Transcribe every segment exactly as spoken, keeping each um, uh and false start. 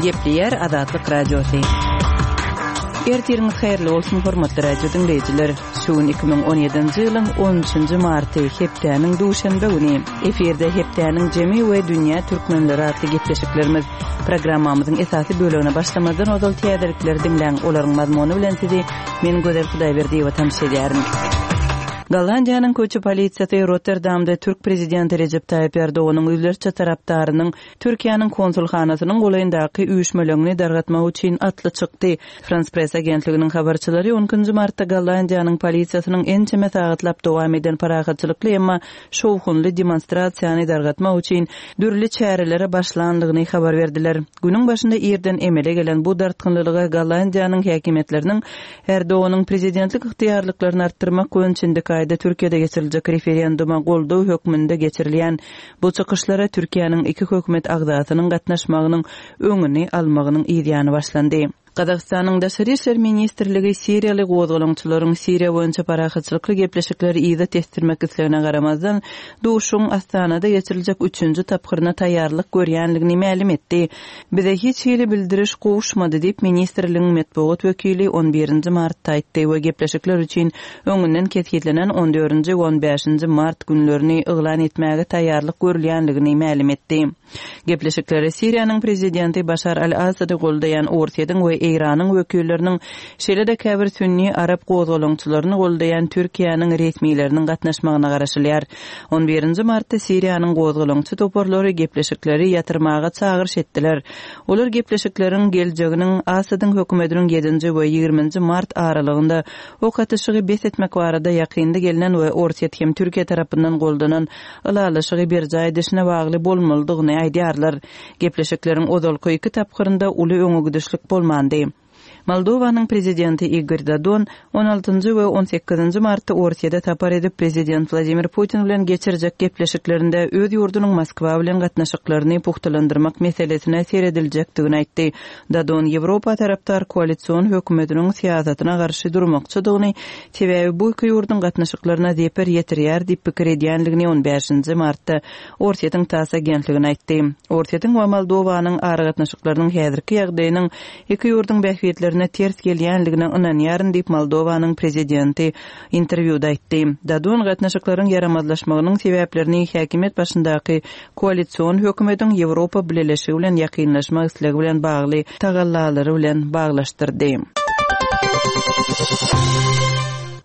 Gepleýär Azatlyk Radiosy. Ertiriňiz haýyrly bolsun, hormatly radio diňleýjiler. Şu gün iki müň on ýedinji ýylyň on üçünji marty, hepdäniň duşenbe güni. Efirde hepdäniň jemi we dünýä türkmenleri atly gepleşiklerimiz. Programmamyzyň esasy bölegine başlamazdan ozal täzelikleri diňläň, olaryň mazmuny bilen sizi men Gözel Hudaýberdiýewa tanyş edýärin. Gollandiýanyň köçe polisiýasy Rotterdamda türk prezidenti Rejep Taýyp Erdoganyň ýüzlerçe tarapdarynyň Türkiýäniň konsulhanasynyň golaýyndaky üýşmeleňini dargatmak üçin atly çykdy. Frans Press agentliginiň habarçylary on ikinji martda Gollandiýanyň polisiýasynyň ençeme sagatlap dowam eden parahatçylykly emma şowhunly demonstrasiýany dargatmak üçin dürli çärelere başlandygyny habar berdiler. Günüň başynda irden emele gelen bu dartgynlylyga Gollandiýanyň häkimiýetleriniň Erdoganyň prezidentlik ygtyýarlyklaryny artdyrmak boýunça indiki aýda Türkiýede geçiriljek referenduma goldaw hökmünde geçirilýän bu çykyşlara Türkiýäniň iki hökümet agzasynyň gatnaşmagynyň öňüni almagynyň ýany başlandy. Gazagystanyň Daşary İşler Ministrligi Siriýaly gozgalaňçylaryň Siriýa boýunça parahatçylykly gepleşikleri yza tesdirmek islegine garamazdan, duşuň Astanada geçiriljek üçünji tapgyryna taýýarlyk görýänligini mälim etdi. Bize hiç hili bildiriş gowuşmady diýip ministrligiň metbugat wekili on birinji martda aýtdy we gepleşikler üçin öňünden kesgitlenen on dördünji we on bäşinji mart günlerini yglan etmäge taýýarlyk görülýänligini mälim etdi. Gepleşikleri Siriýanyň prezidenti Başar al-Assady goldaýan Orsýetiň we Eýranyň wekilleriniň, şeýle-de käbir sünni arap gozgalaňçylaryny goldaýan Türkiýäniň resmileriniň gatnaşmagyna garaşylýar. On birinji martda Siriýanyň gozgalaňçy toparlary gepleşikleri ýatyrmaga çagyryş etdiler. Olar gepleşikleriň geljeginiň Assadyň hökümetiniň ýedinji we ýigriminji mart aralygynda ok atyşygy bes etmek barada ýakynda gelinen we Orsýet hem Türkiýe tarapyndan goldanan ylalaşygy berjaý edişine bagly bolmalydygyny aýdýarlar. Gepleşikleriň ozalky iki tapgyrynda uly öňe gidişlik bolmandy. Moldowanyň prezidenti Igor Dodon on altynjy we on sekizinji martda Orsýete sapar edip prezident Vladimir Putin bilen geçirjek gepleşiklerinde öz ýurdunyň Moskwa bilen gatnaşyklaryny puhtalandyrmak meselesine serediljekdigini aýtdy. Dodon Ýewropa tarapdar koalision hökümetiniň syýasatyna garşy durmakçydygyny, sebäbi bu iki ýurduň gatnaşyklaryna zeper ýetirýär diýip pikir edýänligini on bäşinji martda Orsýetiň TASS agentligine aýtdy. Orsýetiň we Moldowanyň aragatnaşyklarynyň häzirki ýagdaýynyň iki ýurduň bähbitlerine ters gelýänligine ynanýaryn diýip Moldowanyň prezidenti interwýuda aýtdy. Dodon gatnaşyklaryň ýaramazlaşmagynyň sebäplerini häkimiýet başyndaky koalision hökümetiň Ýewropa Bileleşigi bilen ýakynlaşmak islegi bilen bagly tagallalary bilen baglaşdyrdy.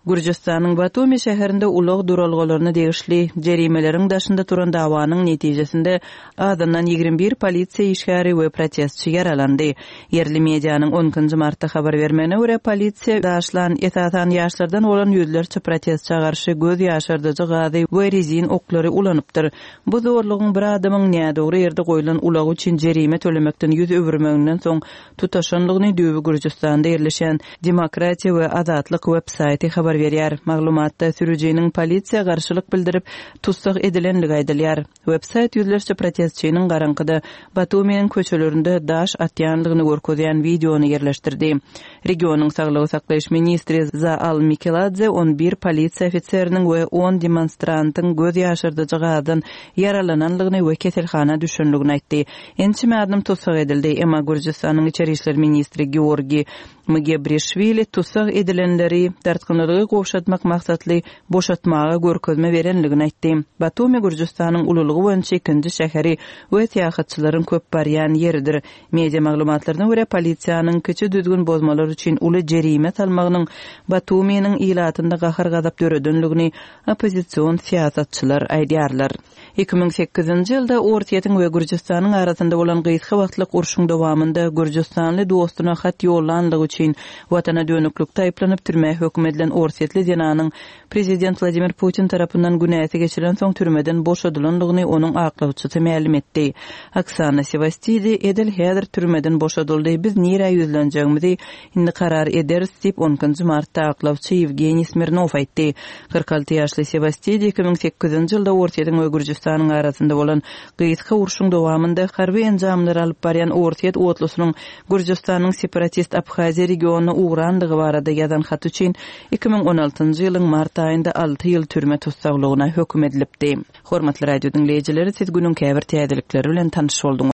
Gürjüstanyň Batumi şäherinde ulag duralgalaryna degişli jerimeleriň daşynda turan dawanyň netijesinde azyndan ýigrimi bir polisiýa işgäri we protestçi ýaralandy. Ýerli medianyň on ikinji martda habar bermegine görä polisiýa daşlan esasan ýaşlardan bolan ýüzlerçe protestçä garşy göz ýaşardyjy gazy we rezin oklary ulanypdyr. Bu zorlugyň bir adamyň nädogry ýerde goýlan ulagy üçin jerime tölemekden ýüz öwürmeginden soň tutaşanlygyny düýbi Gürjüstanda ýerleşen Demokratiýa we Azatlyk web saýty habar berýär. Maglumatda sürüjiniň polisiýa garşylyk bildirip tussag edilenligi aýdylýar. Web saýt ýüzlerçe protestçiniň garaňkyda Batuminiň köçelerinde daş atýanlygyny görkezýän wideony ýerleşdirdi. Regionyň saglygy saklaýyş ministri Zaal Mikeladze on bir polisiýa ofiseriniň we on demonstrantyň göz ýaşardyjy gazdan ýaralananlygyny we keselhana düşenligini aýtdy. Ençeme adam tussag edildi. Emma Gürjüstanyň içeri işler ministri Georgi Mgebrişwili tussag edilenleri dartgynlygy gowşatmak maksatly boşatmaga görkezme berenligini aýtdy. Batumi Gürjüstanyň ululygy boýunça ikinji şäheri we syýahatçylaryň köp barýan ýeridir. Media maglumatlaryna görä polisiýanyň kiçi düzgün bozmalar üçin uly jerime salmagynyň Batuminiň ilatynda gahar-gazap döredenligini oppozision syýasatçylar aýdýarlar. Iki müň sekizinji ýylda Orsýetiň we Gürjüstanyň arasynda bolan gysga wagtlyk urşuň dowamynda Gürjüstanly dostuna hat ýollanlygy üçin watana dönüklikde aýyplanyp türmä höküm edilen Orsýetli zenanyň prezident Vladimir Putin tarapyndan günäsi geçilen soň türmeden boşadylanlygyny onuň aklawçysy mälim etdi. Oksana Sevastidi edil häzir türmeden boşadyldy. Biz nirä ýüzlenjegimizi indi karar ederis diýip on ikinji martda aklawçy Ýewgeniý Smirnov aýtdy. Kyrk alty ýaşly Sevastidi iki müň sekizinji ýylda Orsýetiň we Gürjüstanyň arasynda bolan gysga urşuň dowamynda harby enjamlary alyp barýan Orsýet otlusynyň Gürjüstanyň separatist Abhaziýa regionyna ugrandygy barada ýazan haty üçin iki müň on altynjy ýylyň mart aýynda alty ýyl türme tussaglygyna höküm edilipdi. Hormatly radio diňleýjileri, siz günüň käbir täzelikleri bilen tanyş bolduňyz.